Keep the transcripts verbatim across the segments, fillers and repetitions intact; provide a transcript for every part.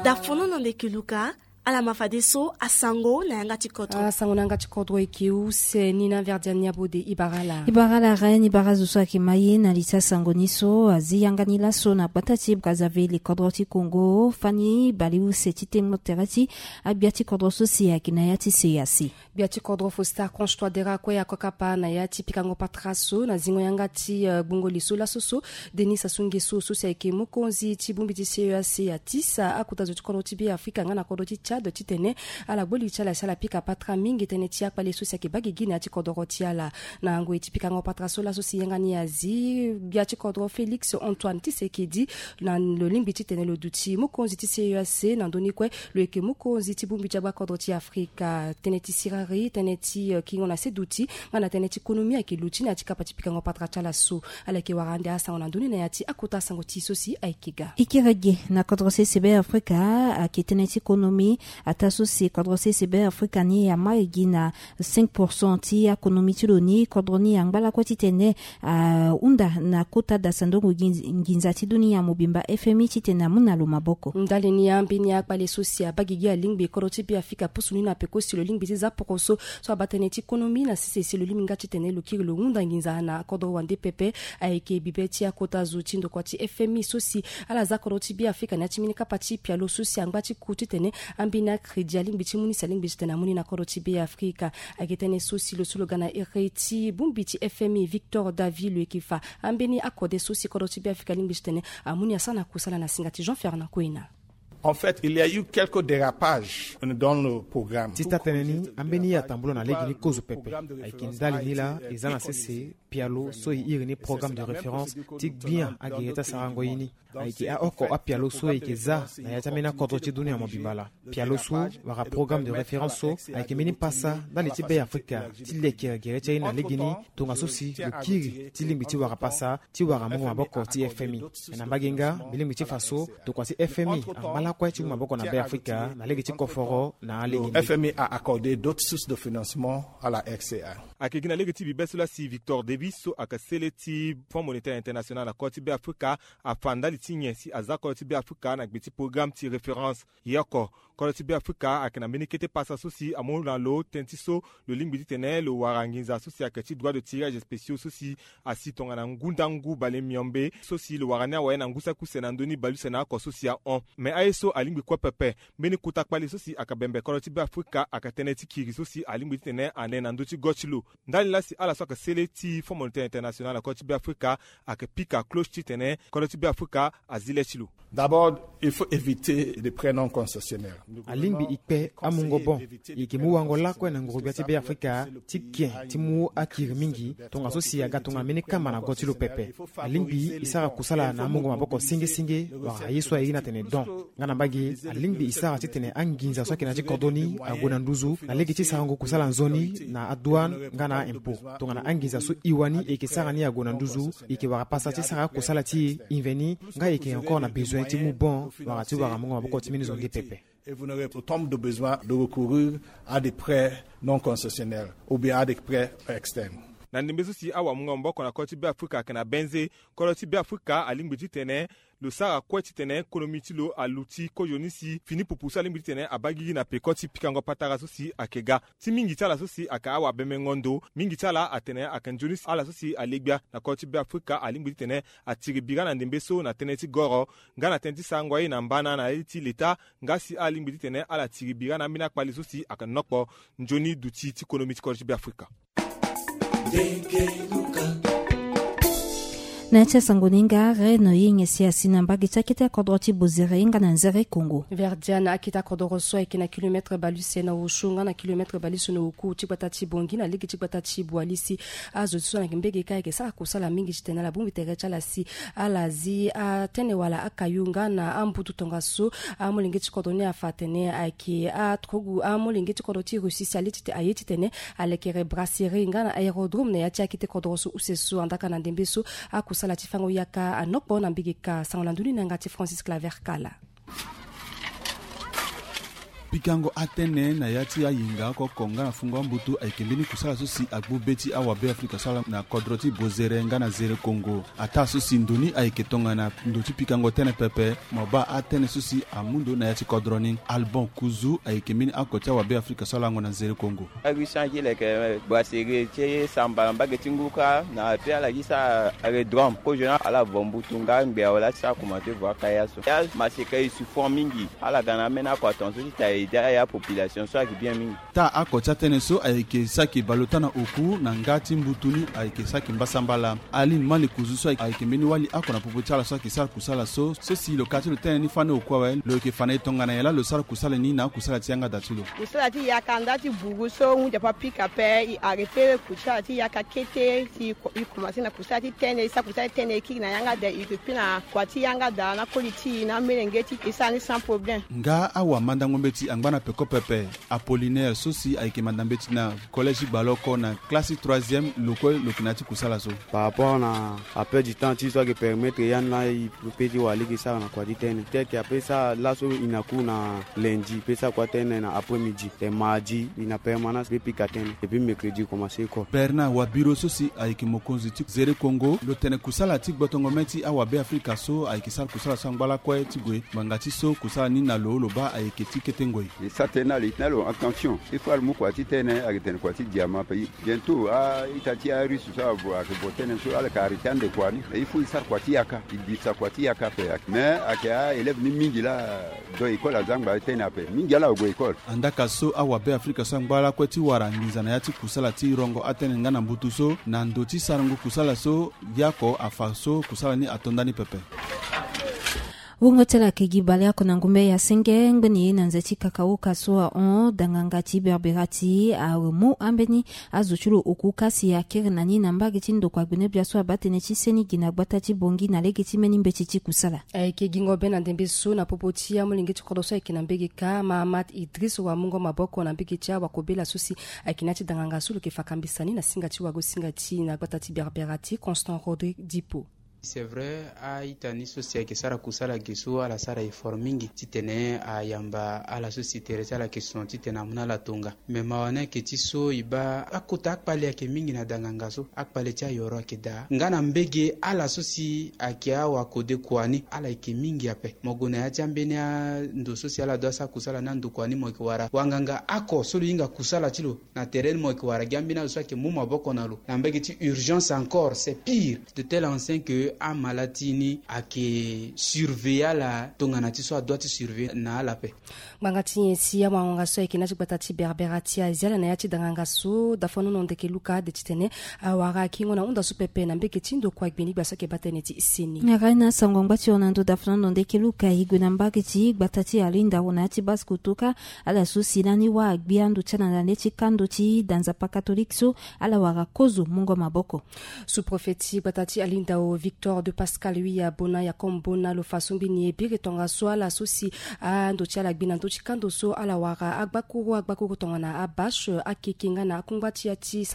Dafono na ndeke luka. Ala ma fadeso asango na yanga ti kodro. Asango na yanga ti kodro eke use ni na verdian ni abode. Ibara ala. Ibara ala reni bara zo so ayeke ma ye na li ti asango ni so azi yanga ni laso na gbata ti Brazzaville, kodro ti Congo. Fani baleuse ti temo tere ti agbia ti kodro so si ayeke na ya ti C E A C. Gbia ti kodro Faustin Archange Touadéra kue ako kapa na ya ti pikango patara so na zingo yanga ti gbongo li so laso so. Denis Sassou Nguesso so si ayeke mokonzi ti bongbi ti C E A C atisa akota zo ti kodro ti Be Afrika nga na kodro ti Tchad titene ala gbo li ti ala si ala pika patara mingi tënë ti akpale so si ayeke baa gigi na ya ti kodoro ti ala. Na ngoi ti pikango patara so laso si yanga ni azi, gbia ti kodro Félix Antoine Tshisekedi na lo lingbi titene lo duti mokonzi ti C E A C na ndö ni kue lo yeke mokonzi ti bongbi ti agbakodro ti Afrika. Tënë ti siriri, tënë ti kingo na se duti nga na tënë ti konomi ayeke luti na ya ti kapa ti pikango patara ti ala so. Ala yeke wara ande asango na ndö ni na ya ti akota asango ti so si ayeke ga. E kiri gi na kodro sese Be Afrika ayeke tënë ti konomi. Ataa so si kodro sese Be Afrika ni ama e gi na cinq pour cent ti akonomi ti lo ni. Kodro ni angba lakue titene ahunda na kota dasandongo nginza ti dunia mobimba F M I titene amu na lo maboko. Ndali ni ambeni akpale so si abaa gigi alingbi kodro ti Be Afrika apusu ni na peko si lo lingbi ti za poroso so abaa tënë ti konomi na sese si lo lingbi nga titene lo kiri lo hunda nginza na kodro wande pepe. Ayeke bibe ti akota zo ti ndokua ti F M I so si ala za kodro ti Be Afrika na ya ti mbeni kapa ti pialo so si angba ti ku titene ambeni akredi alingbi ti mu ni si alingbi titene amu ni na kodro ti Be Afrika. Ayeke tënë so si lo so lo ga na iri ti bongbi ti F M I Victor David lo yeke fa ambeni akode so si kodro ti Be Afrika alingbi titene amu ni asara na kusala na singa ti Jean Fernand Koina. En fait, il y a eu quelques dérapages dans le programme. Ti taa tënë ni ambeni atambula na lege ni kozo pepe. Ayeke ndali ni laa e za na sese pialo so e iri ni programme de référence ti gbia agere ti asarango ye ni. Ayeke aoko apialo so e yeke za na ya ti ambeni akodro ti dunia mobimba laa. Pialo so wala programme de référence so ayeke mbeni pasa ndali ti Be Afrika ti leke gere ti aye na legeni. Tongaso si lo kiri ti lingbi ti wara pasa ti wara mungo maboko ti F M I. Me na mbage nga mbi lingbi ti fa so tokua ti F M I angba lakue ti mu maboko na Be Afrika na lege ti koforo na alege ni. F M I a accordé d'autres sources de financement à la R C A. Ayeke gi na lege ti bibe so laa si Victor Davis so ayeke sele ti Fonds Monétaire International na kodro ti Be Afrika afa ndali ti nyen si aza kodro ti Be Afrika na gbe ti programme ti référence. Ye oko, kodro ti Be Afrika ayeke na mbeni kete pasa so si amu na lo tënë ti so lo lingbi titene lo wara nginza so si ayeke ti droit de tirage spéciaux so si asi tongana ngu ndangu bale miombe so si lo wara ni awe na ngu saki use na ndö ni baleuse na oko so si ahon. Me aye so alingbi kue pepe, mbeni kota kpale so si ayeke bembe kodro ti Be Afrika ayeke tënë ti kiri so si alingbi titene ane na ndö ti go ti lo. Ndali laa si ala so ayeke sele ti Fonds Monétaire International na kodro ti Be Afrika ayeke pika cloche titene kodro ti Be Afrika azi le ti lo. D'abord, il faut éviter les prêts non concessionnaires. Alingbi e kpe amungo bon. E yeke mu wango lakue na nguru-gbia ti Be Afrika ti ke ti mu akiri mingi tongaso si aga tongana mbeni kama na go ti lo pepe. Alingbi e sara kusala na amungo maboko senge senge wala aye so ayeke na tene don. Nga na mbage alingbi e sara titene anginza so ayeke na ya ti kodro ni ague na nduzu na lege ti sarango kusala nzoni na adouane nga na aimpôt. Tongana anginza so e wani e yeke sara ni ague na nduzu, e yeke wara pasa ti sara akusala ti e. E mveni nga e yeke encore na bezoin ti mu bon wala ti wara mungo maboko ti mbeni zo nde pepe. Et vous n'aurez autant de besoin de recourir à des prêts non concessionnaires ou bien à des prêts externes. Na ndembe so si awamungo maboko na kodro ti Be Afrika ayeke na benze. Kodro ti Be Afrika alingbi titene lo sara kue titene konomi ti lo aluti kozoni si fini pupu so alingbi titene abaa gigi na peko ti pikango patara so si ayeke ga. Ti mingi ti ala so si ayeke awabembengo ndo, mingi ti ala atene ayeke nzoni si ala so si ale gbia na kodro ti Be Afrika alingbi titene atiri bira na ndembe so na tënë ti goro nga na tënë ti sarango aye na mbana na ya ti leta. Nga si ala lingbi titene ala tiri bira na ambeni akpale so si ayeke nokpo nzoni duti ti konomi ti kodro ti Be Afrika. Na ya ti asango ni nga Reine Ying si asi na mbage ti akete akodro ti Bozere nga na Nzere Kongo. Verdiane akete akodoro so ayeke na kilometre baleuse na osio nga na kilometre baleuse na oku ti gbata ti Bongi na lege ti gbata ti Boalisi. Azo ti so na yeke mbege kâ ayeke sara kusala mingi titene ala bongbi tere ti ala si ala zi atene wala akayo nga na ambutu tongaso. Amolenge ti kodro ni afa atene ayeke aturugu amolenge ti kodro ti Russie si ale titene aye titene alekere brasserie nga na aérodrome na ya ti akete kodro so use so andaka na ndembe so. Akusala ti fango yaka anokpo na mbege ka sango na ndoni na yanga ti Francis Claver Kala. Pikango atene na ya ti ayinga oko oko nga na fungo ambutu ayeke mbeni kusala so si agbu be ti awabe afrika so ala na kodro ti bozere nga na zere kongo. Ataa so si ndo ni ayeke tongana ndo ti pikango tënë pepe. Mo baa atënë so si amu ndo na ya ti kodro ni. Albon kuzu ayeke mbeni oko ti awabe afrika so alango na zere kongo. Arusan ti leke boisere ti samba na mbage ti ngu kâ na pe ala ti sara aredrome kozo na ala vo mbutu nga ngbe awe la ti sara komante vo akaya so ya maseka e souffrant mingi. Ala ga na ameni ako atonso ti ta ede aya population so ayeke bien mingi. Taa ako ti atënë so ayeke saki baleota na oku na nga ti mbutu ni ayeke saki mbasambala. Aline mali kuzu so ayeke mbeni wali ako na popo ti ala so ayeke sara kusala so so si lo ka ti lo tënë ni fani oku awe lo yeke fa na e tongana nyen laa lo sara kusala ni na akusala ti yanga da ti lo. Kusala ti yaka nda ti buru so hunzi ape apika ape e arrêter kusala ti yaka kete si e komanse na kusala ti tënë e sara kusala ti tënë e kiri na yanga da e yeke kpi na kua ti yanga da na koli ti e na amelenge ti e sara ni sans problème. Nga awamandango mbeti angba na peko pepe. Apollinaire so si ayeke manda mbeti na collège ti gbaloko na classe ti troisième lo kue lo yeke na ya ti kusala so. Par rapport na appel du temps ti so ayeke permettre ya ni la e pe ti wara lege sara na kua ti tënë tel que ape sara laso e na cours na lundi pe sara kua tënë na après midi et mardi e na permanence pe pika tënë et puis mercredi e commence école. Bernard wabiro so si ayeke mokonzi ti zere kongo lo tene kusala ti gbotongo mê ti awabe afrika so ayeke sara kusala so angba lakue ti gue ngbanga ti so kusala ni na lo lo baa ayeke ti kete ngoi. E sara tënë na lo e tene na lo attention il faut ala mu kua ti tënë ayeke tene kua ti diamant ape. Bientôt a-ita ti arusse so abo ayeke vo tënë so ala yeke arrêter andokua ni. Il faut e sara kua ti yaka e bimisa kua ti yaka ape. Mais ayeke a-élève ni mingi laa do école aza ngba tënë ape mingi ala ague école. Andaka so awabe afrika so angba lakue ti wara nginza na ya ti kusala ti rongo atënë nga na mbutu so na ndo ti sarango kusala so. Yako afa so kusala ni ato ndani pepe. Wungo ti ala ayeke gi baleoko na ngumbe ya senge ngbeni ye na nze ti kakauka so ahon danganga ti berbera ti amu ambeni azo ti lo oku kasi akiri na ni na mbage ti ndokua gbene-bia so abaa tënë ti seni gi na gbata ti bongi na lege ti mbeni mbeti ti kusala. Ayeke gingo be na ndembe so na popo ti amolenge ti kodro so ayeke na mbege kâ mahamat idris wamungo maboko na mbege ti awakobela so si ayeke na ya ti danganga so lo yeke fa kambisa ni na singa ti wago singa ti na gbata ti berbera ti constant rodrigue dipo. C'est vrai, a-ita ni so si ayeke sara kusala ge so ala sara effort mingi titene ayamba ala so si tere ti ala yeke sono titene amu na ala tonga. Mais mawa ni ayeke ti so e baa akota akpale ayeke mingi na danganga so akpale ti ayoro ayeke daa nga na mbege ala so si ayeke awakode kua ni ala yeke mingi ape. Mo gue na ya ti ambeni ando so si ala doit asara kusala ni andokua ni mo yeke wara wanganga ako so lo hinga kusala ti lo na tere ni mo yeke wara gi ambeni azo so ayeke mu maboko na lo na mbege ti urgence encore c'est pire de tel enseigne que amala ti ni ayeke surveiller ala tongana ti so adoit ti surveiller na ala ape. Ngbanga ti nyen si awango-nga so ayeke na ya ti gbata ti berbera ti azia ala na ya ti danganga so dafanono ndeke luka ade titene awara akingo na hunda so pepe na mbege ti ndokua gbeni gbia so ayeke baa tënë ti seni. Na rai na sango angba ti hon na ndo dafanono ndeke luka e gue na mbage ti gbata ti alinda hon na ya ti base kotoka. Ala so si lani wâ agbi ando ti ala na le ti kando ti da nzapa katolike so ala wara kozo mungo maboko. Sous-préfet ti gbata ti alindao victor de pascal wi abona yakom bona lo fa so mbeni e biri tongaso ala so si ando ti ala gbi na ndö ti kando so ala wara agbakuru agbakuru tongana abache akeke nga na akungba ti ya ti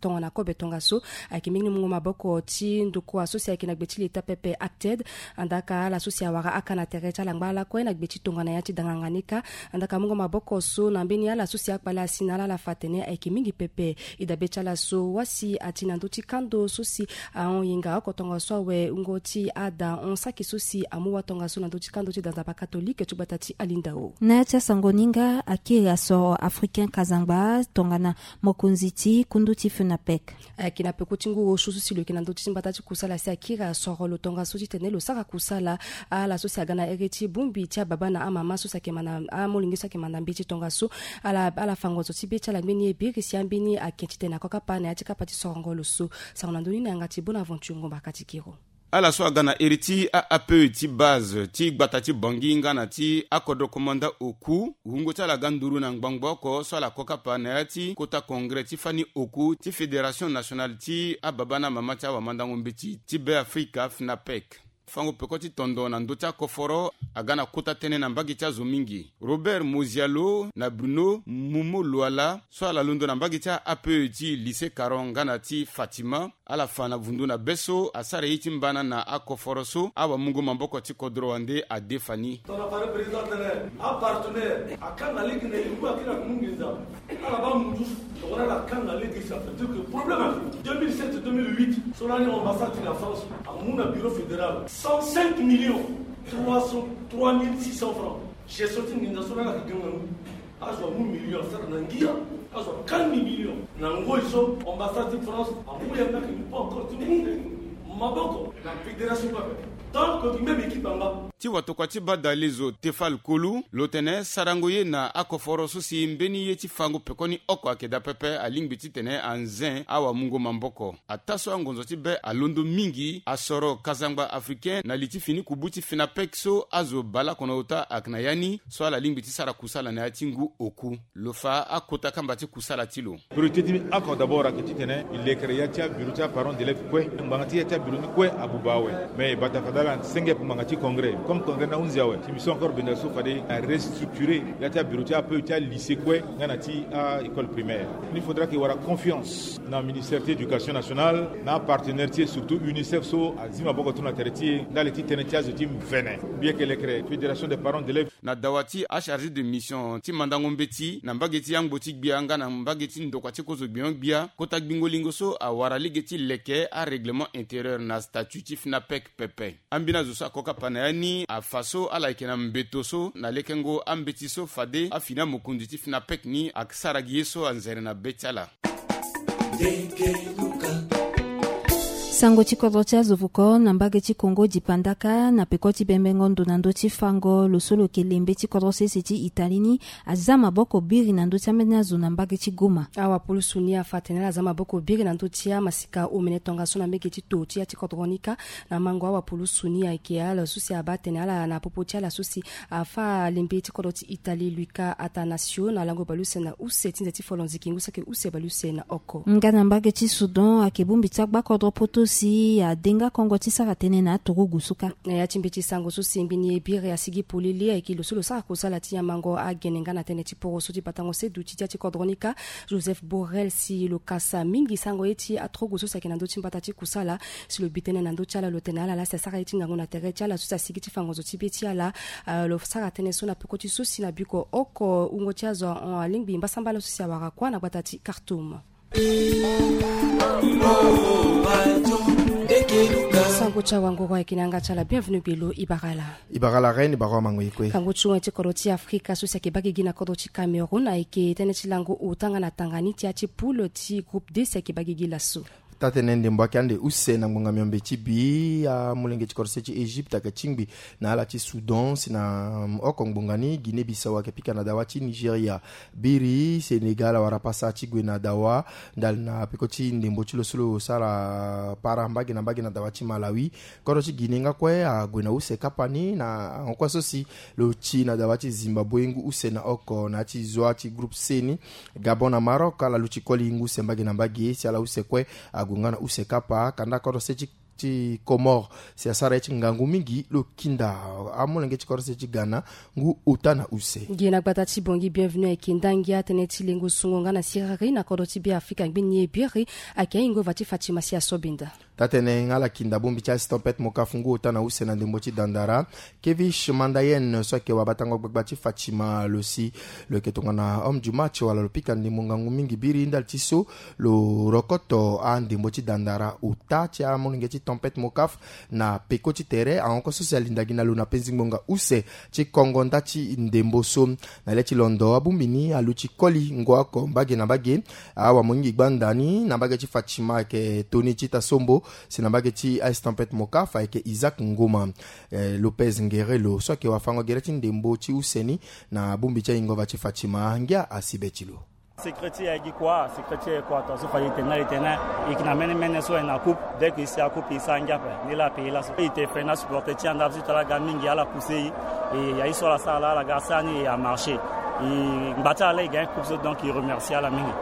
tongana kobe tongaso. Ayeke mbeni mungo maboko ti ndokua so si ayeke na gbe ti leta pepe acted. Andaka ala so si awara aka na tere ti ala ngba lakue na gbe ti tongana ya ti danganga ni kâ. Andaka mungo maboko so na mbeni ala so si akpale asi na ala ala fa atene ayeke mingi pepe. E dabe ti ala so wasi ati na ndö ti kando so si ahon yenga oko tongaso awe wungo ti ada hon saki so si amu wa tongaso na ndö ti kando ti da nzapa katolike ti gbata ti alindao. Na ya ti asango ni nga akiri asoro africain kazangba tongana mokonzi ti kundu ti fenapec. Ayeke na peko ti ngu osio so si lo yeke na ndö ti mbata ti kusala si akiri asoro lo tongaso titene lo sara kusala. Ala so si aga na here ti bongbi ti ababa na amama so si ayeke ma na amolenge so ayeke ma na mbeti tongaso. Ala ala fa ngonzo ti be ti ala mbeni e biri si ambeni ake titene akokapa na ya ti kapa ti sorongo lo so. Sango na ndö ni na yanga ti bonaventure ngombaka ti kiro. Ala so aga na iri ti aape ti base ti gbata ti bangi nga na ti akodro komanda oku wungo ti ala ga nduru na ngbangbo oko so ala kokapa na ya ti kota kongre ti fani oku ti fédération nationale ti ababa na mama ti awamandango mbeti ti be afrika fnapec. Fango peko ti tondo na ndö ti akoforo aga na kota tënë na mbage ti azo mingi. Robert Mozialo na Bruno Mumo Luala so ala londo na mbage ti A P E ti Lycée Caron nga na ti Fatima, ala fa na vundu na be so asara ye ti mbana na akoforo so awamungo maboko ti kodro wande adefa ni. Tongana fade président tene apartenaire akanga lege na ye ngu akiri na kumu nginza. Ala baa mundu so tongana ala kanga lege, ça veut dire que problème ape. Deux mille sept, deux mille huit, so lani ambassade ti la France amu na bureau fédéral cent cinq millions trois cent, trois mille six cents francs. Gestion ti nginza so lani ayeke ganga ngu. Azo amu million asara na ngia. Azo akanga million na ngoi so ambassade ti France amu yanga ayeke mu pas encore ti mu maboko na fédération pape. Donc même équipe anga. Ti watokua ti baa dalezo Tefal Kolu lo tene sarango ye na akoforo so si mbeni ye ti fango pekoni oko ayeke daa pepe alingbi titene anze awamungo maboko. Ataa so angonzo ti be alondo mingi, asoro kazangba africain na li ti fini kubu ti FENAPEC so azo baleoko na ota ayeke na ya ni, so ala lingbi ti sara kusala na ya ti ngu oku. Lo fa akota kamba ti kusala ti lo. Priorité ti oko d'abord ayeke titene e lekere ya ti abureau ti aparent d'élève kue. Ngbanga ti ya ti abureau ni kue abuba awe. Mais e bata fade ala senge ngbanga ti congrès. Comme congrès ni ahunzi awe, si mbi so encore benda so fade a restructurer ya ti abureau ti ape ti alycée kue nga na ti a école primaire. Il faudra que e wara confiance na ministère ti éducation nationale na apartenaire ti e, surtout UNICEF so azi maboko ti lo na tere ti e ndali ti tënë ti azo ti mvene. Mbi yeke lekere fédération des parents d'élèves. Na dawa ti achargé de mission ti mandango mbeti na mbage ti yangbo ti gbia nga na mbage ti ndokua ti kozo gbio gbia, kota gbingo lingo so awara lege ti leke arèglement intérieur na statut ti FENAPEC pepe. Ambeni azo so akokapa na ya ni afa so ala yeke na mbeto so na lekengo ambeti so fade afini amokonzi ti FENAPEC ni asara gi ye so anzere na be ti ala. Sango ti kodro ti azo vuko na mbage ti Kongo dipandaka na peko ti bembengo ndo na ndö ti fango lo so lo yeke lembe ti kodro sese ti Italie ni aza maboko biri na ndö ti ambeni azo na mbage ti Goma. Awapulusu ni afa atene ala za maboko biri na ndö ti amasika omene tongaso na mbage ti to ti ya ti kodro ni kâ. Na mango awapulusu ni ayeke ala so si abaa atene ala na popo ti ala so si afa alembe ti kodro ti Italie Luca Attanasio na lango baleuse na use ti nze ti folonzi kingu saki use baleuse na oko. Nga na mbage ti Soudan ayeke bongbi ti agbakodro poto si ade nga kongo ti sara tënë na aturugu so kâ. Na ya ti mbeti sango so si ngbeni e biri asigi polele ayeke lo so lo sara kosala ti nyamango agene nga na tënë ti poro so ti batango se duti ti ya ti kodro ni kâ. Joseph Borrell si lo kasa mingi sango ye ti aturugu so si ayeke na ndö ti mbata ti kusala. Si lo bi tënë na ndö ti ala lo tene ala laa si asara ye ti ngangu na tere ti ala so si asigi ti fa ngonzo ti be ti ala. Ah, lo sara tënë so na peko ti so si na biko oko wungo ti azo ahon alingbi mbasambala so si awara kuâ na gbata ti Khartoum. Sango ti awanguru ayeke na yanga ti ala bienvenu gbelo. E bara ala. E bara ala reine, e bara amango ye kue. Kango ti wen ti kodro ti Afrika so si ayeke baa gigi na kodro ti Cameroun ayeke tënë ti lango ota nga na tanga ni ti ya ti poule ti groupe D si ayeke baa gigi laso. Taa-tënë ndembo ayeke ande use na ngbonga miombe ti bi amolenge ti kodro se ti Égypte ayeke tingbi na ala ti Soudan si na, mm, oko ngbonga ni Guinée Bissau ayeke pika na dawa ti Nigeria. Biri Sénégal awara pasa ti gue na dawa ndali na peko ti ndembo ti lo so lo sara para mbage na mbage na dawa ti Malawi. Kodro ti Guinée nga kue ague na use kapa ni na ahon kue so si lo ti na dawa ti Zimbabwe ngu use na oko na ya ti zwa ti groupe C ni. Gabon na Maroc ala luti koli ngu use mbage na mbage si ala use kue ague nga na use kapa. Kanda kodro se ti, ti Comores si asara ye ti ngangu mingi lo kinda amolenge ti kodro se ti Ghana ngu ota na use. Gi na gbata ti Bangui bienvenu ayeke ndangia tënë ti lengo sungo nga na siriri na kodro ti Be Afrika ngbeni ye biri ayeke ahingo va ti Fatima si asobinda. Taa-tënë nga ala kinda bongbi ti azi tempête Mokaf ngu ota na use na ndembo ti Dandara. Kevish Mandayen so ayeke wabatango gbagba ti Fatima lo si lo yeke tongana homme du match wala lo pika ndembo ngangu mingi biri ndali ti so lo rokoto andembo ti Dandara ota ti amolenge ti tempête Mokaf na peko ti tere ahon kue so si alinda gi na lo na penzi ngbonga use ti kongo nda ti ndembo so. Na le ti londo abongbi ni aluti koli ngoa oko mbage na mbage. Awamoyingi gbanda ni na mbage ti Fatima ayeke Tony Tita Sombo, si na mbage ti Ice Tempête Mokaf ayeke Isaac Ngoma. Eh, Lopez Ngerelo so ayeke wafango gere ti ndembo ti use ni na bongbi ti ahingo va ti Fatima ngia asi be ti lo. Secret ti e ayeke gi kua, secret ti e ayeke kua, tongaso fade e tene na e tene e yeke na mene mene so e na coupe, dès que e si acoupe e sara ngia ape. Ni laa apays laso e te feni asupporter ti e anda ti to ala ga mingi ala pousser e. E ya ye so ala sara laa ala ga sara ni e amarcher. E ngba ti ala laa e gagne coupe so, donc e remercier ala mingi.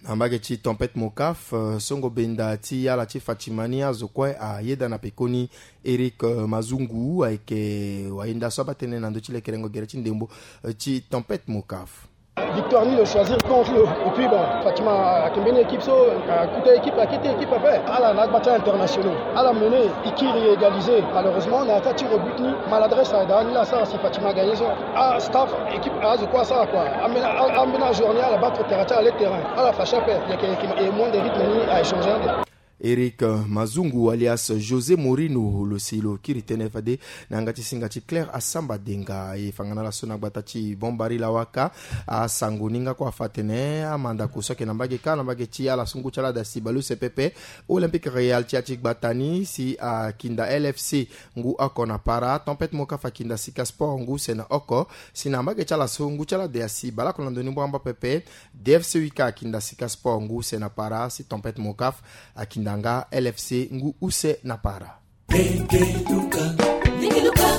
Ambage ti tempête Mokaf, eh, songo benda ti ala ti Fatima ni azo kue ayeda na pekoni. Eric, eh, Mazungu ayeke wayenda so abaa tënë na ndö ti lekerengo gere ti ndembo, eh, ti tempête Mokaf. Victoire ni lo choisir contre lo. Et puis bon, Fatima ayeke mbeni équipe so, akuta équipe, akete équipe ape. Ala na agba ti internationaux. Ala mené, i kiri égalisé. Malheureusement na ya ti tir au but ni, maladresse ayeke daa ni la asara si Fatima agagné so. Ah, staff, équipe azo kue asara kua. Ambeni, a, ambeni ajour ni ala baa trop terrain ti ala le terrain. Ala fâché ape. Yeke, yeke, e moins de rythme ni a échangé ande. Eric, eh, Mazungu alias José Mourinho lo si lo kiri tënë fade na yanga ti singa ti Claire Asamba Denga. E fa nga na ala so na gbata ti Bombari Lawaka, asango ni nga kue afa atene amandako so ayeke na mbage kâ na mbage ti ala so ngu ti ala ade asi bale use pepe, Olympique Real ti ya ti gbata ni si akinda L F C ngu oko na para, tempête Mokaf akinda Sika Sport ngu use na oko. Si na mbage ti ala so ngu ti ala ade asi baleoko na ndoni mbwambwa pepe, D F C Wika akinda Sika Sport ngu use na para, si tempête Mokaf akinda nga L F C ngu use na para.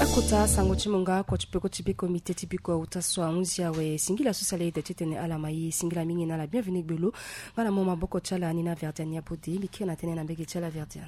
Akota sango ti mo nga oko ti peko ti be komite ti biko auta so ahunzi awe. Singila so sala ede titene ala ma ye. Singila mingi na ala, bienvenu gbelo. Nga na mo maboko ti ala ni na Verdian Yabode, mbi kiri na tënë na mbege ti ala Verdian.